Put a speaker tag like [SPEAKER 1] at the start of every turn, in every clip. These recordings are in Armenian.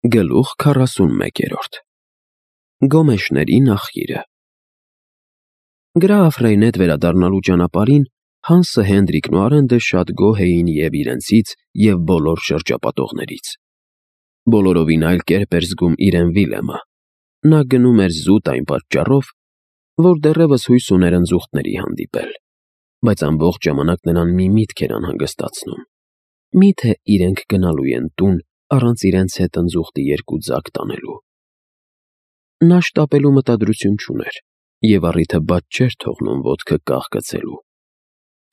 [SPEAKER 1] Գլուխ 41 Գոմեշների նախիրը Գրաֆ Ռեյնետ վերադառնալու ճանապարհին Հանսը, Հենդրիկն ու Արենդը շատ գոհ էին և իրենցից, և բոլոր շրջապատողներից։ Բոլորովին այլ կերպ էր զգում իրեն Վիլյամը։ Նա գնում էր զուտ այն պատճառով, որ դեռևս հույս ուներ ընձուղտների հանդիպել, բայց ամբողջ ժամանակ նրան մի միտք էր անհանգստացնում. միթե իրենք գնալու են տուն առանց իրենց հետ ընձուղտի երկու ձագ տանելու։ Նա շտապելու մտադրություն չուներ և առիթը բաց չէր թողնում ոտքը կախ գցելու։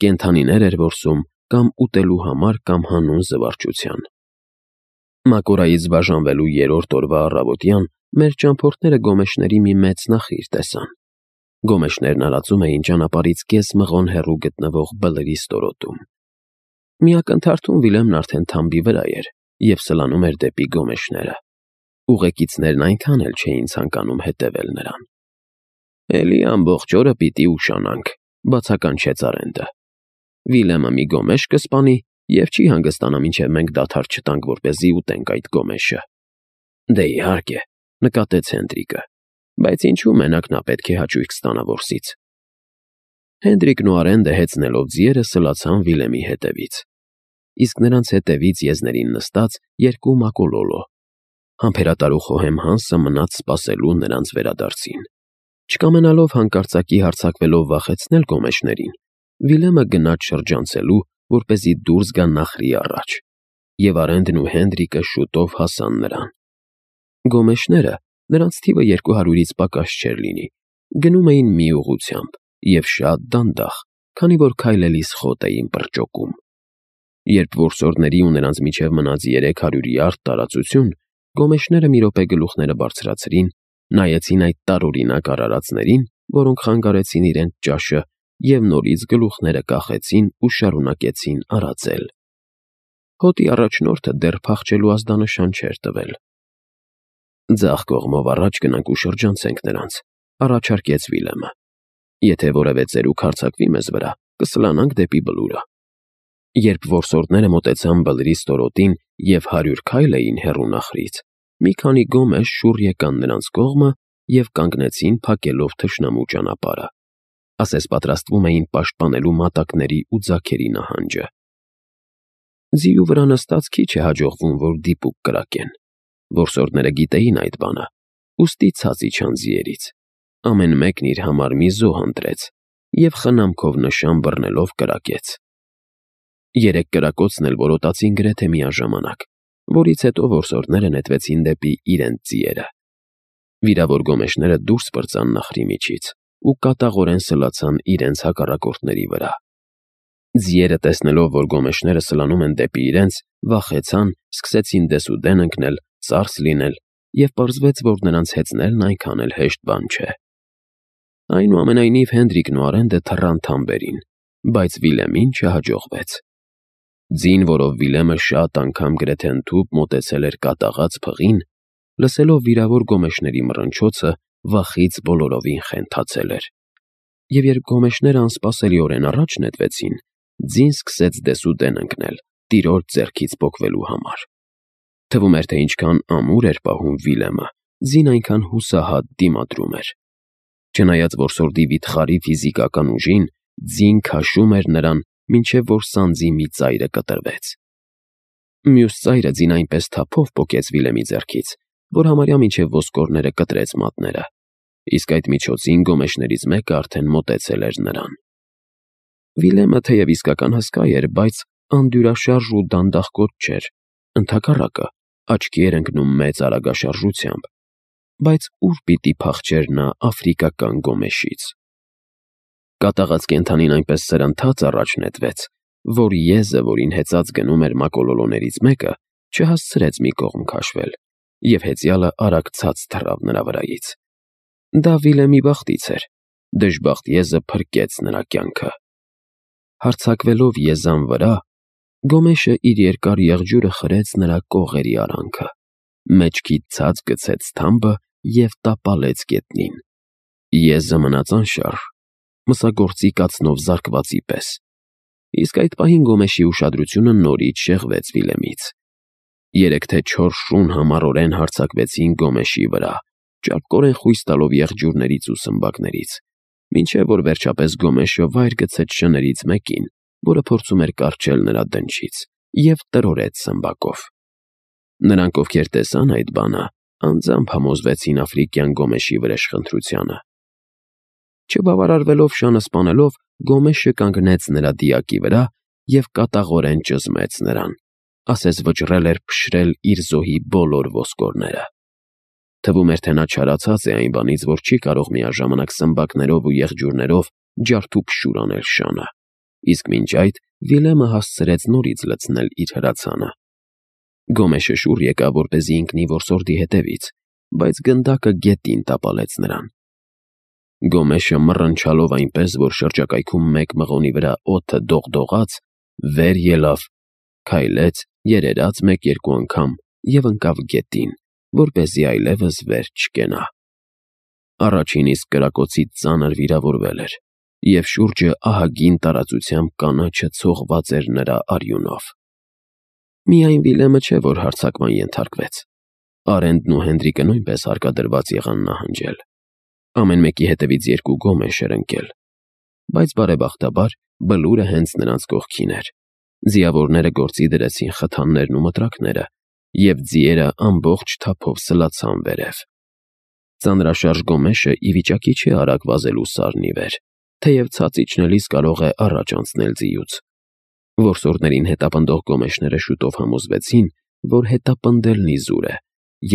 [SPEAKER 1] Կենդանիներ էր որսում կամ ուտելու համար, կամ հանուն զվարճության։ Մակորայից բաժանվելու երրորդ օրվա առավոտյան մեր ճամփորդները գոմեշների մի մեծ նախիր տեսան։ Գոմեշներն արածում էին ճանապարհից կես մղոն հեռու գտնվող Բլրի ստորոտում։ Մի ակնթարթում Վիլյամն արդեն թամբի վրա էր և սլանում էր դեպի գոմեշները։ Ուղեկիցներն այնքան էլ չէին ցանկանում հետևել նրան։ «Էլի ամբողջ օրը պիտի ուշանանք», բացականչեց Արենդը։ «Վիլյամը մի գոմեշ կսպանի և չի հանգստանա, մինչև մենք դադար չտանք, որպեսզի ուտենք այդ գոմեշը»։ «Դե իհարկե», նկատեց Հենդրիկը, «բայց ինչու մենակ նա պետք է հաճույք ստանա որսից»։ Հենդրիկն ու Արենդը հեծնելով ձիերը սլացան Վիլյամի հետևից, իսկ նրանց հետևից եզներին նստած երկու մակոլոլո։ Համբերատար ու խոհեմ Հանսը մնաց սպասելու նրանց վերադարձին։ Չկամենալով հանկարծակի հարձակվելով վախեցնել գոմեշներին, Վիլյամը գնաց շրջանցելու, որպեսզի դուրս գա նախրի առաջ, և Արենդն ու Հենդրիկը շուտով հասան նրան։ Գոմեշները, նրանց թիվը 200-ից պակաս չէր լինի, գնում էին մի ուղղությամբ և շատ դանդաղ, քանի որ քայլելիս խոտ էին պրճոկում։ Երբ որսորդների ու նրանց միջև մնաց 300 յարդ տարածություն, գոմեշները մի րոպե գլուխները բարձրացրին, նայեցին այդ տարօրինակ արարածներին, որոնք խանգարեցին իրենց ճաշը, և նորից գլուխները կախեցին ու շարունակեցին արածել։ Հոտի առաջնորդը դեռ փախչելու ազդանշան չէր տվել։ «Ձախ կողմով առաջ գնանք ու շրջանցենք նրանց», առաջարկեց Վիլյամը։ «Եթե որևէ ծերուկ հարձակվի մեզ վրա, կսլանանք դեպի Բլուրը»։ Երբ որսորդները մոտեցան Բլրի ստորոտին և 100 քայլ էին հեռու նախրից, մի քանի գոմեշ շուռ եկան նրանց կողմը և կանգնեցին փակելով թշնամու ճանապարհը, ասես պատրաստվում էին պաշտպանելու մատակների ու ձագերի նահանջը։ Ձիու վրա նստած քիչ է հաջողվում, որ դիպուկ կրակեն։ Որսորդները գիտեին այդ բանը, ուստի ցած իջան ձիերից։ Ամեն մեկն իր համար մի զոհ ընտրեց և խնամքով նշան բռնելով կրակեց։ 3 կրակոցն էլ որոտացին գրեթե միաժամանակ, որից հետո որսորդները նետվեցին դեպի իրենց ձիերը։ Վիրավոր գոմեշները դուրս պրծան նախրի միջից ու կատաղորեն սլացան իրենց հակառակորդների վրա։ Ձիերը, տեսնելով, որ գոմեշները սլանում են դեպի իրենց, վախեցան, սկսեցին դեսուդեն ընկնել, ծարս լինել, և պարզվեց, որ նրանց հեծնելն այնքան էլ հեշտ բան չէ։ Այնուամենայնիվ Հենդրիկն ու Արենդը թռան թամբերին, բայց Վիլյամին չհաջողվեց։ Ձին, որով Վիլյամը շատ անգամ գրեթե ընդհուպ մոտեցել էր կատաղած փղին, լսելով վիրավոր գոմեշների մռնչոցը, վախից բոլորովին խենթացել էր։ Եվ երբ գոմեշները անսպասելիորեն առաջ նետվեցին, ձին սկսեց դեսուդեն ընկնել, տիրոջ ձեռքից պոկվելու համար։ Թվում էր, թե ինչքան ամուր էր պահում Վիլյամը, ձին այնքան հուսահատ դիմադրում էր։ Չնայած որսորդի վիթխարի ֆիզիկական ուժին, ձին քաշում էր նրան, մինչև որ սանձի մի ծայրը կտրվեց։ Մյուս ծայրը ձին այնպես թափով պոկեց Վիլյամի ձեռքից, որ համարյա մինչև ոսկորները կտրեց մատները, իսկ այդ միջոցին գոմեշներից մեկը արդեն մոտեցել էր նրան։ Վիլյամը թեև իսկական հսկա էր, բայց անդյուրաշարժ ու դանդաղկոտ չէր, ընդհակառակը, աչքի էր ընկնում մեծ արագաշարժությամբ, բայց ուր պիտի փախչեր նա աֆրիկական գոմեշից։ Կատաղած կենդանին այնպես սրընթաց առաջ նետվեց, որ եզը, որին հեծած գնում էր մակոլոլոներից մեկը, չհասցրեց մի կողմ քաշվել, և հեծյալը արագ ցած թռավ նրա վրայից։ Դա Վիլյամի բախտից էր, դժբախտ եզը փրկեց նրա կյանքը։ Հարձակվելով եզան վրա, գոմեշը իր երկար եղջյուրը խրեց նրա կողերի արանքը, մեջքից ցած գցեց թամբը և տապալեց գետնին։ Եզը մնաց անշարժ, մսագործի կացնով զարկվածի պես, իսկ այդ պահին գոմեշի ուշադրությունը նորից շեղվեց Վիլյամից։ 3 թե 4 շուն համառորեն հարձակվեցին Գոմեշի վրա, ճարպկորեն խույս տալով եղջյուրներից ու սմբակներից, մինչև որ վերջապես Գոմեշը վայր գցեց շներից մեկին, որը փորձում էր կառչել նրա դնչից, և տրորեց սմբակով։ Նրանք, ովքեր տեսան այդ բանը, անձամբ համոզվեցին աֆրիկյան Գոմեշի վրեժխնդրությանը։ Չբավարարվելով շանը սպանելով, Գոմեշը կանգնեց նրա դիակի վրա և կատաղորեն ճզմեց նրան, ասես վճռել էր փշրել իր զոհի բոլոր ոսկորները։ Թվում էր, թե նա չարացած է այն բանից, որ չի կարող միաժամանակ սմբակներով ու եղջյուրներով ջարդուփշուր անել շանը, իսկ մինչ այդ Վիլեմը հասցրեց նորից լցնել իր հրացանը։ Գոմեշը շուռ եկավ, որպեսզի ընկնի որսորդի հետևից, բայց գնդակը գետին տապալեց նրան։ Գոմեշը մռնչալով այնպես, որ շրջակայքում մեկ մղոնի վրա օդը դողդողաց, վեր ելավ, քայլեց, երերաց 1-2 անգամ և ընկավ գետին, որպեսզի այլևս վեր չկենա։ Առաջին իսկ կրակոցից ծանր վիրավորվել էր, և շուրջը ահագին տարածությամբ կանաչը ցողված էր նրա արյունով։ Միայն Վիլեմը չէ, որ հարձակման ենթարկվեց։ Արենդն ու Հենրիկը նույնպես հարկադրված եղան նահանջել։ Ամեն մեկի հետևից 2 Գոմեշ էր ընկել, բայց բարեբախտաբար Բլուրը հենց նրանց կողքին էր։ Ձիավորները գործի դրեցին խթաններն ու մտրակները, և ձիերը ամբողջ թափով սլացան վերև։ Ծանրաշարժ Գոմեշը ի վիճակի չէ արագ վազելու սարն ի վեր, թեև ցած իջնելիս կարող է առաջ անցնել ձիուց։ Որսորդներին հետապնդող Գոմեշները շուտով համոզվեցին, որ հետապնդելն իզուր է,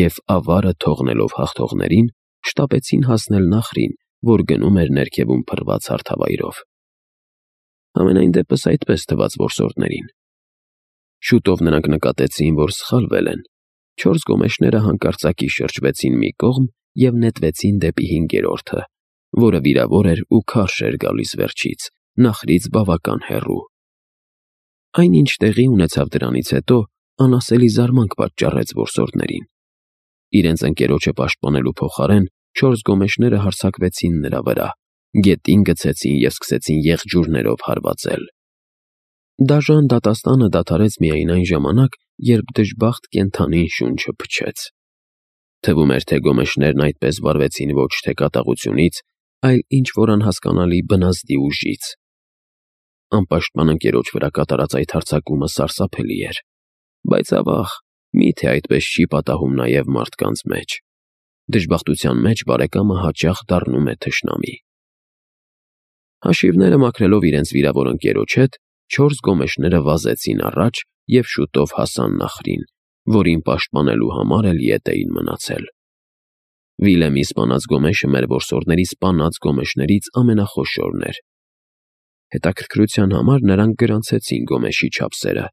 [SPEAKER 1] և ավարը թողնելով հաղթողներին, շտապեցին հասնել Նախրին, որ գնում էր ներքևում փռված հարթավայրով։ Համենայն դեպս այդպես թվաց որսորդներին։ Շուտով նրանք նկատեցին, որ սխալվել են։ 4 Գոմեշները հանկարծակի շրջվեցին մի կողմ և նետվեցին դեպի 5-րդը, որը վիրավոր էր ու քարշ էր գալիս վերջից, Նախրից բավական հեռու։ Այնինչ տեղի ունեցավ դրանից հետո, անասելի զարմանք պատճառեց որսորդներին։ Իրենց ընկերոջը պաշտպանելու փոխարեն 4 Գոմեշները հարձակվեցին նրա վրա, գետին գցեցին և սկսեցին եղջյուրներով հարվածել։ Դաժան դատաստանը դադարեց միայն այն ժամանակ, երբ դժբախտ կենդանին շունչը փչեց։ Թվում էր, թե Գոմեշներն այդպես վարվեցին ոչ թե կատաղությունից, այլ ինչ-որ անհասկանալի բնազդի ուժից։ Անպաշտպան ընկերոջ վրա կատարած այդ հարձակումը սարսափելի էր, բայց ավաղ, միթե այդպես չի պատահում նաև մարդկանց մեջ։ Դժբախտության մեջ բարեկամը հաճախ դառնում է թշնամի։ Հաշիվները մաքրելով իրենց վիրավոր ընկերոջ հետ, 4 Գոմեշները վազեցին առաջ և շուտով հասան Նախրին, որին պաշտպանելու համար էլ ետ էին մնացել։ Վիլեմի սպանած Գոմեշը մեր որսորդների սպանած Գոմեշներից ամենախոշորն էր։ Հետաքրքրության համար նրանք գրանցեցին Գոմեշի չափսերը։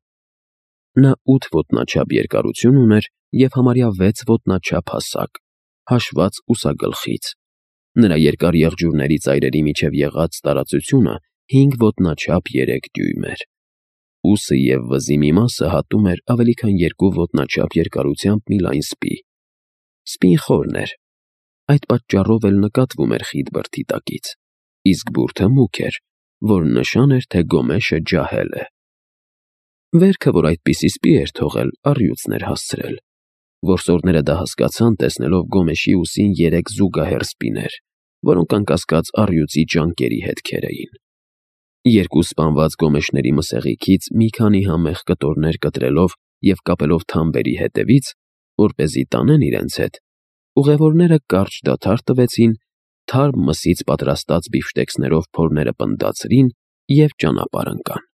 [SPEAKER 1] Նա 8 ոտնաչափ երկարություն ուներ և համարյա 6 ոտնաչափ հասակ, հաշված ուսագլխից։ Նրա երկար եղջյուրների ծայրերի միջև եղած տարածությունը 5 ոտնաչափ 3 դյույմ էր։ Ուսը և վզի մի մասը հատում էր ավելի քան 2 ոտնաչափ երկարությամբ մի լայն սպի։ Սպին խորն էր։ Այդ պատճառով էլ նկատվում էր խիտ բրդի տակից, իսկ բուրդը մուգ էր, որ նշան էր, թե Գոմեշը ջահել է։ Վերքը, որ այդպիսի սպի էր թողել, առյուծն էր հասցրել։ Որսորդները դա հասկացան, տեսնելով Գոմեշի ուսին 3 զուգահեռ սպիներ, որոնք անկասկած առյուծի ճանկերի հետքեր էին։ 2 սպանված Գոմեշների մսեղիքից մի քանի համեղ կտորներ կտրելով և կապելով թամբերի հետևից, որպեսզի տանեն իրենց հետ, ուղևորները կարճ դադար տվեցին, թարմ մսից պատրաստած բիֆշտեքսներով փորները պնդացրին և ճանապարհ ընկան։